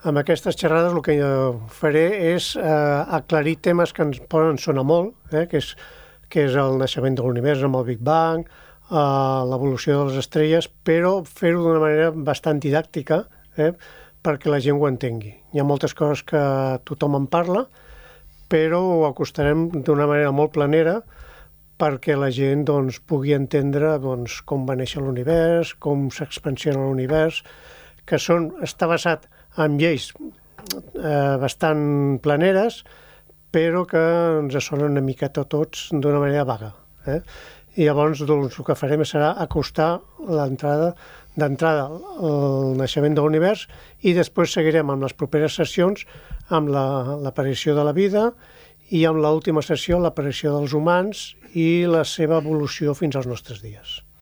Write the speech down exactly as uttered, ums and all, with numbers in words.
amb aquestes xerrades el que faré és eh, aclarir temes que ens poden sonar molt, eh, que, és, que és el naixement de l'univers amb el Big Bang, eh, l'evolució de les estrelles, però fer-ho d'una manera bastant didàctica, eh, perquè la gent ho entengui. Hi ha moltes coses que tothom en parla, però ho acostarem d'una manera molt planera perquè la gent doncs, pugui entendre doncs, com va néixer l'univers, com s'expansiona l'univers, que són, està basat en lleis eh, bastant planeres, però que ens sonen una miqueta tots d'una manera vaga. Eh? I llavors doncs, el que farem serà acostar l'entrada d'entrada el naixement de l'univers i després seguirem amb les properes sessions amb l'aparició de la vida i amb l'última sessió l'aparició dels humans i la seva evolució fins als nostres dies.